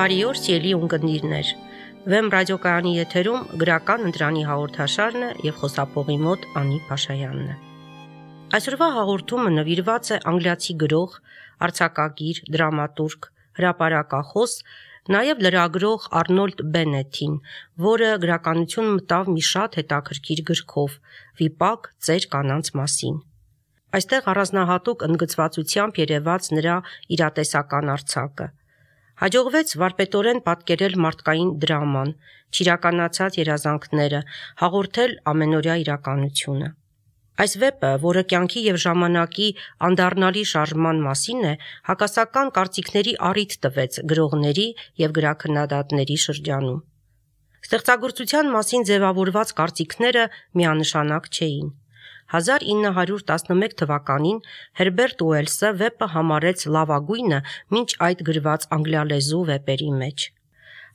Բարի օր, սիրելի ունկնդիրներ։ Վեմ ռադիոկայանի եթերում գրական ընտրանի հաղորդաշարն է եւ խոսափողի մոտ Անի Փաշայանն է։ Այսօրվա հաղորդումը նվիրված է անգլիացի գրող, արձակագիր, դրամատուրգ, հրապարակախոս, նաեւ լրագրող Արնոլդ Բեննեթին, որը գրականություն մտավ մի շատ հետաքրքիր գրքով՝ «Վիպակ ծեր կանանց մասին»։ Այստեղ առանձնահատուկ ընդգծվածությամբ երևաց նրա իրատեսական արձակը։ Հաջողվեց վարպետորեն պատկերել մարդկային դրաման, չիրականացած երազանքները, հաղորդել ամենօրյա իրականությունը։ Այս վեպը, որը կյանքի եւ ժամանակի անդառնալի շարժման մասին է, հակասական կարծիքների առիթ տվեց գրողների եւ գրաքննադատների շրջանում։ Ստեղծագործության մասին ձևավորված կարծիքները միանշանակ չէին։ 1911 թվականին Հերբերտ Ուելսը վեպը համարեց լավագույնը մինչ այդ գրված անգլիալեզու վեպերի մեջ։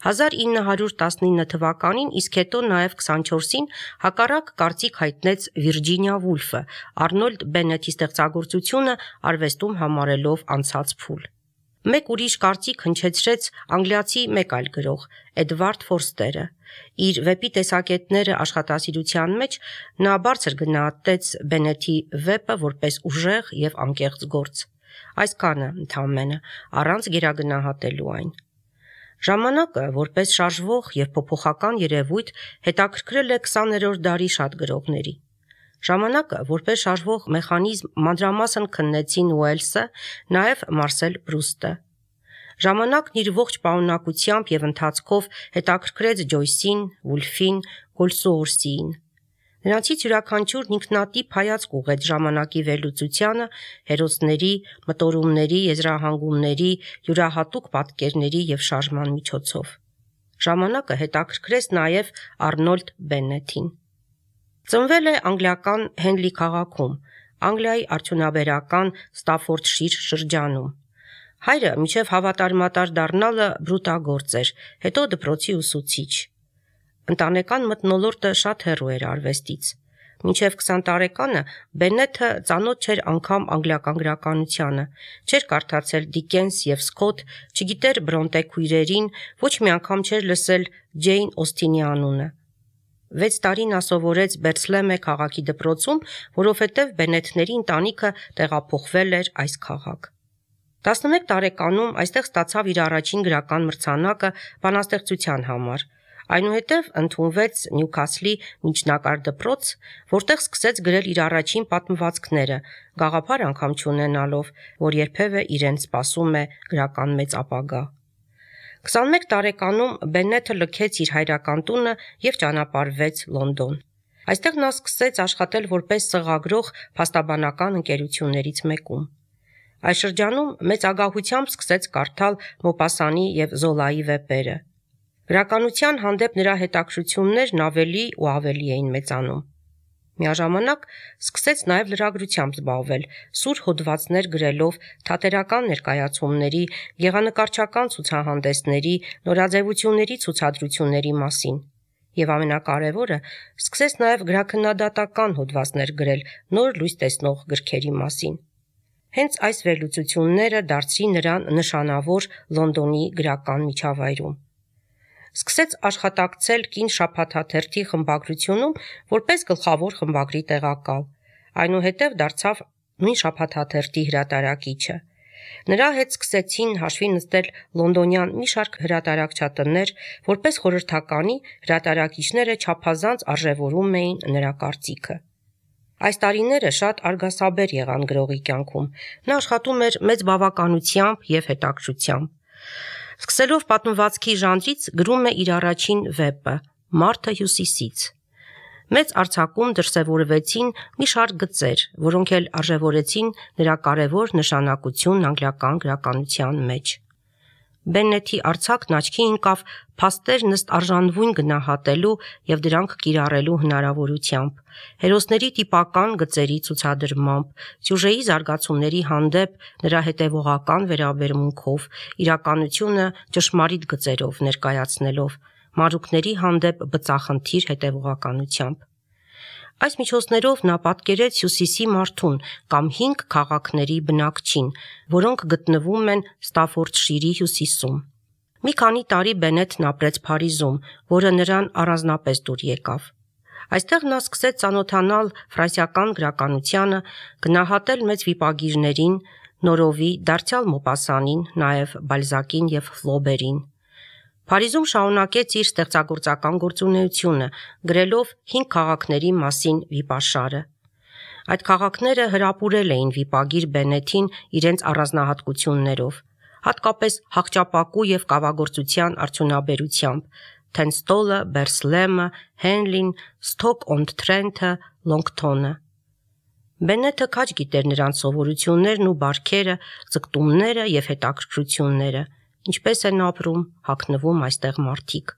1919 թվականին, իսկ հետո նաև 24-ին հակառակ կարծիք հայտնեց Վիրջինիա Վուլֆը, Արնոլդ Բեննեթի ստեղծագործությունը արվեստում համարելով անցած փուլ։ Մեկ ուրիշ կարծիք հնչեցրեց անգլիացի մեկ այլ գրող՝ Էդվարդ Ֆորստերը։ Իր վեպի տեսակետները աշխատասիրության մեջ նա բարձր գնահատեց Բեննեթի վեպը որպես ուժեղ եւ անկեղծ գործ։ Այսքանը ընդամենը, առանց գերագնահատելու այն։ Ժամանակը, որպես շարժվող եւ փոփոխական երևույթ, հետաքրքրել է 20-րդ դարի շատ գրողների։ Ժամանակը, որպես շարժվող մեխանիզմ, մանրամասն քննեցին Ուելսը, նաև Մարսել Պրուստը։ Ժամանակն իր ողջ պարունակությամբ եւ ընթացքով հետաքրքրեց Ջոյսին, Վուլֆին, Գոլսուորսիին։ Նրանցից յուրաքանչյուրն ինքնատիպ հայացք ուղղեց ժամանակի վերլուծությանը, հերոսների, մտորումների, եզրահանգումների, յուրահատուկ պատկերների եւ շարժման միջոցով։ Ժամանակը հետաքրքրեց նաև Արնոլդ Բեննեթին։ Ծնվել է անգլիական Հենլի քաղաքում, Անգլիայի արդյունաբերական Ստաֆորդշիր շրջանում։ Հայրը մինչև հավատարմատար դառնալը բրուտագործ էր, հետո դպրոցի ուսուցիչ։ Ընտանեկան մթնոլորտը շատ հեռու էր արվեստից։ Մինչև 20 տարեկանը Բեննեթը ծանոթ չէր անգամ անգլիական գրականությանը, չէր կարդացել Դիկենս եւ Սքոթ, չգիտեր Բրոնտե քույրերին, ոչ մի անգամ չէր լսել Ջեյն Օսթինի անունը։ 6 տարի նա սովորեց Բերցլեմե քաղաքի դպրոցում, որովհետև Բեննեթների ընտանիքը տեղափոխվել էր այս քաղաք։ 11 տարեկանում այստեղ ստացավ իր առաջին գրական մրցանակը բանաստեղծության համար։ Այնուհետև ընդունվեց Նյուքասլի միջնակարգ դպրոց, որտեղ սկսեց գրել իր առաջին պատմվածքները, գաղափար անգամ չունենալով, որ երբևէ իրեն սպասում է գրական մեծ ապագա։ 21 տարեկանում Բեննեթը լքեց իր հայրական տունը եւ ճանապարհվեց Լոնդոն։ Այստեղ նա սկսեց աշխատել որպես սղագրող փաստաբանական ընկերություններից մեկում։ Այս շրջանում մեծ ագահությամբ սկսեց կարդալ Մոպասանի եւ Զոլայի վեպերը։ Գրականության հանդեպ նրա հետաքրքրություններն ավելի ու ավելի էին մեծանում։ Միաժամանակ սկսեց նաև լրագրությամբ զբաղվել, սուր հոդվածներ գրելով թատերական ներկայացումների, գեղանկարչական ցուցահանդեսների, նորաձևությունների ցուցադրությունների մասին։ Եվ ամենակարևորը, սկսեց նաև գրաքննադատական հոդվածներ գրել նոր լույս տեսնող գրքերի մասին։ Հենց այս վերլուծությունները դարձրին նրան նշանավոր Լոնդոնի գրական միջավայրում։ Սկսեց աշխատակցել Կին շաբաթաթերթի խմբագրությունում որպես գլխավոր խմբագրի տեղակալ, այնուհետև դարձավ նույն շաբաթաթերթի հրատարակիչը։ Նրա հետ սկսեցին հաշվի նստել լոնդոնյան մի շարք հրատարակչատներ, որպես խորհրդականի հրատարակիչները չափազանց արժևորում էին նրա կարծիքը։ Այս տարիները շատ արգասաբեր եղան գրողի կյանքում։ Նա աշխատում էր մեծ բավականությամբ եւ հետաքրքրությամբ։ Սկսելով պատմվածքի ժանրից գրում է իր առաջին վեպը՝ Մարդը հյուսիսից։ Մեծ արձակում դրսևորվեցին մի շարք գծեր, որոնք էլ արժևորեցին նրա կարևոր նշանակությունն անգլիական գրականության մեջ։ Բեննեթի արձակն աչքի ընկավ փաստերն ըստ արժանվույն գնահատելու եւ դրանք կիրառելու հնարավորությամբ, հերոսների տիպական գծերի ցուցադրմամբ, սյուժեի զարգացումների հանդեպ նրա հետևողական վերաբերմունքով, իրականությունը ճշմարիտ գծերով ներկայացնելով, մանրուքների հանդեպ բծախնդիր հետևողականությամբ։ Այս միջոցներով նա պատկերեց Հյուսիսի մարդուն կամ 5 քաղաքների բնակչին, որոնք գտնվում են Ստաֆորդշիրի հյուսիսում։ Մի քանի տարի Բենեթն ապրեց Փարիզում, որը նրան առանձնապես դուր եկավ։ Այստեղ նա սկսեց ծանոթանալ ֆրանսիական գրականությանը, գնահատել մեծ վիպագիրներին, Նորովի, դարձյալ Մոպասանին, նաև Բալզակին և Ֆլոբերին։ Փարիզում շարունակեց իր ստեղծագործական գործունեությունը, գրելով 5 քաղաքների մասին վիպաշարը։ Այդ քաղաքները հրապուրել էին վիպագիր Բենեթին իրենց առանձնահատկություններով, հատկապես հաղճապակու և կավագործության արդյունաբերությամբ՝ Թենստոլը, Բերսլեմը, Հենլին, Սթոք-օն-Թրենթը, Լոնգթոնը։ Բենեթը քաջ գիտեր նրանց սովորություններն ու բարքերը, ձգտումները և հետաքրքրությունները, ինչպես են ապրում, հագնվում այստեղ մարդիկ։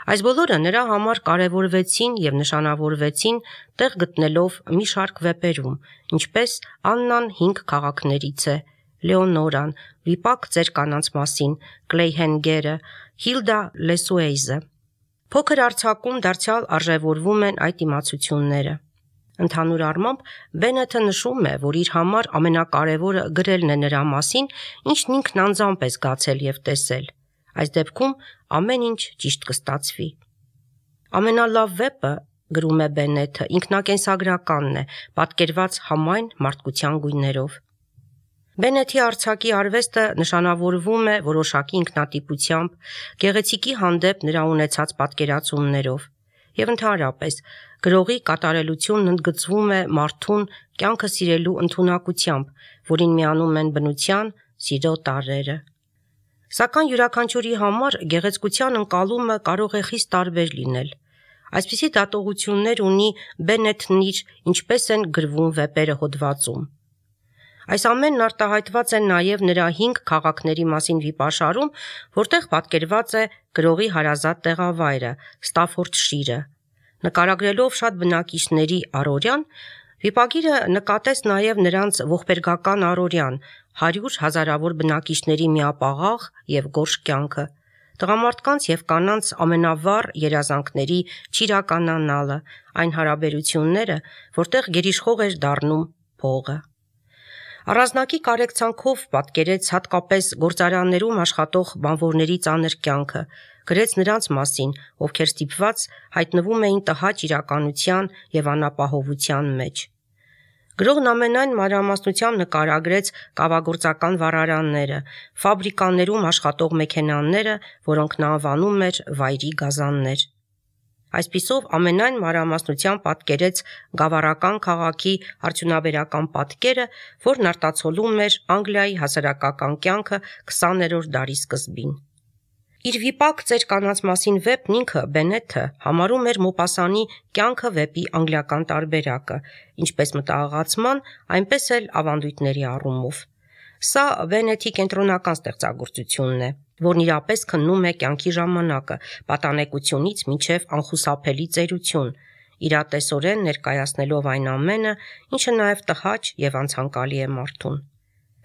Այս բոլորը նրա համար կարևորվեցին և նշանավորվեցին տեղ գտնելով մի շարք վեպերում, ինչպես Աննան 5 քաղաքներից է, Լեոնորան, Վիպակ ծեր կանանց մասին, Կլեյհենգերը, Հիլդա Լեսուեյզը։ Փոքր արձակում դարձյալ արժևորվում են այդ իմացությունները։ Ընդհանուր առմամբ Բենեթը նշում է, որ իր համար ամենակարևորը գրելն է նրա մասին, ինչն ինքն անձամբ է զգացել և տեսել։ Այս դեպքում ամեն ինչ ճիշտ կստացվի։ Ամենալավ վեպը, գրում է Բենեթը, ինքնակենսագրականն է, պատկերված համայն մարդկության գույներով։ Բենեթի արձակի արվեստը նշանավորվում է որոշակի ինքնատիպությամբ, գեղեցիկի հանդեպ նրա ունեցած պատկերացումներով և ընդհանրապես գրողի կատարելությունն ընդգծվում է մարդուն կյանքը սիրելու ընդունակությամբ, որին միանում են բնության, սիրո տարրերը։ Սակայն յուրաքանչյուրի համար գեղեցկության ընկալումը կարող է խիստ տարբեր լինել։ Այսպիսի դատողություններ ունի Բենեթն իր «Ինչպես են գրվում վեպերը» հոդվածում։ Այս ամենն արտահայտված է նաև նրա 5 քաղաքների մասին վիպաշարում, որտեղ պատկերված է գրողի հարազատ տեղավայրը՝ Ստաֆորդշիրը։ Նկարագրելով շատ բնակիչների առօրյան, վիպագիրը նկատեց նաև նրանց ողբերգական առօրյան, 100 հազարավոր բնակիչների միապաղաղ և գորշ կյանքը, տղամարդկանց և կանանց ամենավառ երազանքների չիրականանալը, այն հարաբերությունները, որտեղ գերիշխող էր դառնում փողը։ Առանձնակի կարեկցանքով պատկերեց հատկապես գործարաններում աշխատող բանվորների ծանր կյանքը, գրեց նրանց մասին, ովքեր ստիպված հայտնվում էին տհաճ իրականության և անապահովության մեջ։ Գրողն ամենայն մանրամասնությամբ նկարագրեց կավագործական վառարանները, ֆաբրիկաներում աշխատող մեքենաները, որոնք նա անվանում էր վայրի գազաններ։ Այսպիսով ամենայն մանրամասնությամբ պատկերեց գավառական քաղաքի արդյունաբերական պատկերը, որն արտացոլում էր Անգլիայի հասարակական կյանքը 20-րդ դարի սկզբին։ Իր «Վիպակ ծեր կանանց մասին» վեպն ինքը Բենեթը համարում էր Մոպասանի կյանքը վեպի անգլիական տարբերակը, ինչպես մտահղացման, այնպես էլ ավանդույթների առումով։ Սա Բենեթի կենտրոնական ստեղծագործությունն է, որն իրապես քննում է կյանքի ժամանակը, պատանեկությունից մինչև անխուսափելի ծերություն, իրատեսորեն ներկայացնելով այն ամենը, ինչը նաև տհաճ և անցանկալի է մարդուն։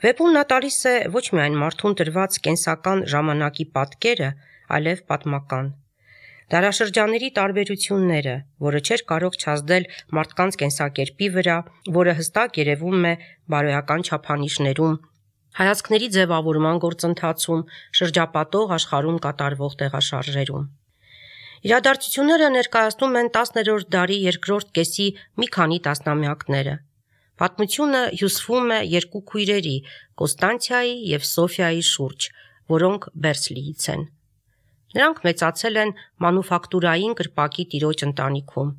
Վեպում նա տալիս է ոչ միայն մարդուն տրված կենսական ժամանակի պատկերը, այլև պատմական։ Դարաշրջանների տարբերությունները, որը չէր կարող չազդել մարդկանց կենսակերպի վրա, որը հստակ երևում է բարոյական չափանիշներում, հայացքների ձևավորման գործընթացում, շրջապատող աշխարհում կատարվող տեղաշարժերում։ Իրադարձությունները ներկայացնում են 10-րդ դարի երկրորդ կեսի մի քանի տասնամյակները։ Պատմությունը հյուսվում է 2 քույրերի՝ Կոստանցիայի և Սոֆիայի շուրջ, որոնք Բերսլիից են։ Նրանք մեծացել են մանուֆակտուրային կրպակի տիրոջ ընտանիքում։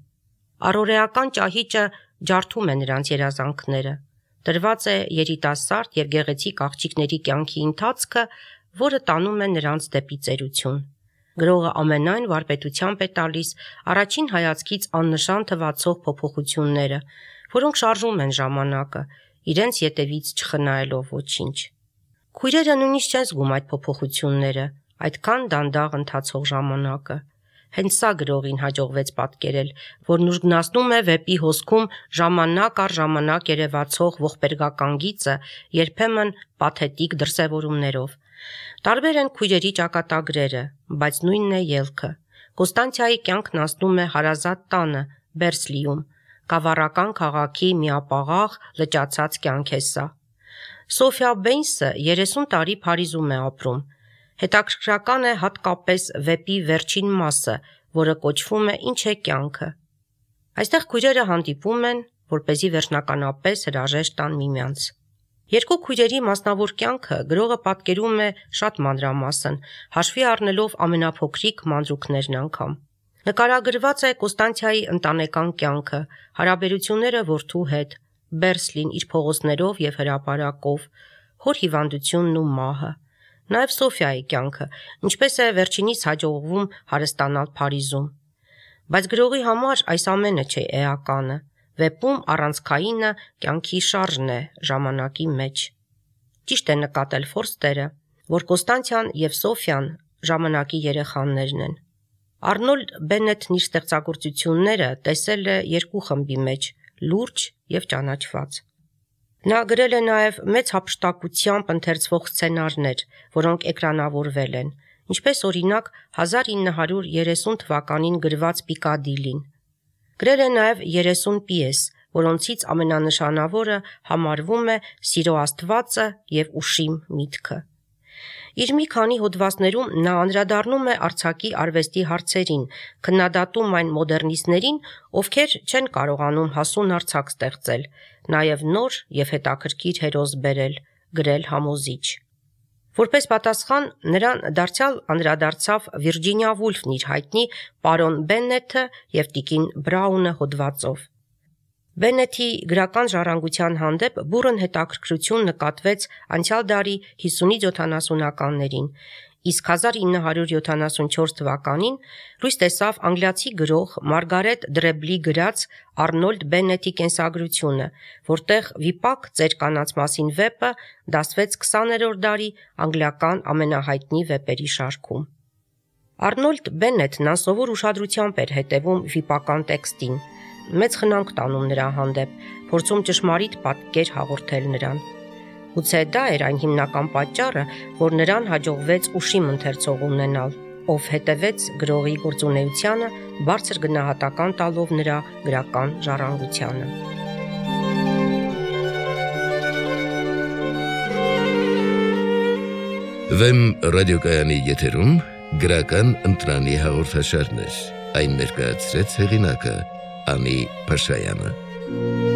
Առօրեական ճահիճը ջարդում է նրանց երազանքները։ Տրված է երիտասարդ և գեղեցիկ աղջիկների կյանքի ընթացքը, որը տանում է նրանց դեպի ծերություն։ Գրողը ամենայն վարպետությամբ է տալիս առաջին հայացքից աննշան թվացող փոփոխությունները, որոնք շարժում են ժամանակը, իրենց ետևից չխնայելով ոչինչ։ Քույրերը նույնիսկ չեն զգում այդ փոփոխությունները, այդքան դանդաղ ընթացող ժամանակը։ Հենց սա գրողին հաջողվեց պատկերել, որն ուժգնացնում է վեպի հոսքում ժամանակ առ ժամանակ երևացող ողբերգական գիծը, երբեմն պաթետիկ դրսևորումներով։ Տարբեր են քույրերի ճակատագրերը, բայց նույնն է ելքը։ Կոստանցիայի կյանքն անցնում է հարազատ տանը, Բերսլիում, գավառական քաղաքի միապաղաղ լճացած կյանք է սա։ Սոֆիա Բեյնսը 30 տարի Փարիզում է ապրում։ Հետաքրքրական է հատկապես վեպի վերջին մասը, որը կոչվում է «Ինչ է կյանքը»։ Այստեղ քույրերը հանդիպում են, որպեսզի վերջնականապես հրաժեշտ տան միմյանց։ Երկու քույրերի մասնավոր կյանքը գրողը պատկերում է շատ մանրամասն, հաշվի առնելով ամենափոքրիկ մանրուքներն անգամ։ Նկարագրված է Կոստանցիայի ընտանեկան կյանքը, հարաբերությունները որդու հետ, Բերսլին իր փողոցներով և հրապարակով, հոր հիվանդությունն ու մահը, նաև Սոֆիայի կյանքը, ինչպես է վերջինիս հաջողվում հարստանալ Փարիզում։ Բայց գրողի համար այս ամենը չէ էականը, վեպում առանցքայինը կյանքի շարժն է ժամանակի մեջ։ Ճիշտ է նկատել Ֆորստերը, որ Կոստանցիան և Սոֆիան ժամանակի երեխաներն են։ Արնոլդ Բենետն իր ստեղծագործությունները տեսել է երկու խմբի մեջ՝ լուրջ և ճանաչված։ Նա գրել է նաև մեծ հափշտակությամբ ընթերցվող սցենարներ, որոնք էկրանավորվել են, ինչպես օրինակ 1930 թվականին գրված Պիկադիլին։ Գրել է նաև 30 պիես, որոնցից ամենանշանավորը համարվում է Սիրո Աստվածը և Ուշիմ միտքը։ Իր մի քանի հոդվածներում նա անդրադառնում է արձակի արվեստի հարցերին, քննադատում այն մոդեռնիստներին, ովքեր չեն կարողանում հասուն արձակ ստեղծել, նաև նոր և հետաքրքիր հերոս բերել, գրել համոզիչ։ Որպես պատասխան նրան դարձյալ անդրադարձավ Վիրջինիա Վուլֆն իր հայտնի «Պարոն Բեննեթը և տիկին Բրաունը» հոդվածով։ Բեննեթի գրական ժառանգության հանդեպ բուռն հետաքրքրություն նկատվեց անցյալ դարի 50-70-ականներին, իսկ 1974 թվականին լույս տեսավ անգլիացի գրող Մարգարետ Դրեբլի գրած Արնոլդ Բեննետի կենսագրությունը, որտեղ վիպակ ծեր կանանց մասին վեպը դասվեց 20-րդ դարի անգլիական ամենահայտնի վեպերի շարքում։ Արնոլդ Բեննետն անսովոր ուշադրությամբ էր հետևում վիպական տեքստին, մեծ խնամք տանում նրա հանդեպ, փորձում ճշմարիտ պատկեր հաղորդել նրան։ Գուցե դա էր այն հիմնական պատճառը, որ նրան հաջողվեց ուշիմ ընթերցող ունենալ, ով հետևեց գրողի գործունեությանը, բարձր գնահատական տալով նրա գրական ժառանգությանը։ Վեմ ռադիոկայանի եթերում գրական ընտրանի հաղորդաշարներ, այն ներկայացրեց հեղինակը Անի Փաշայանը։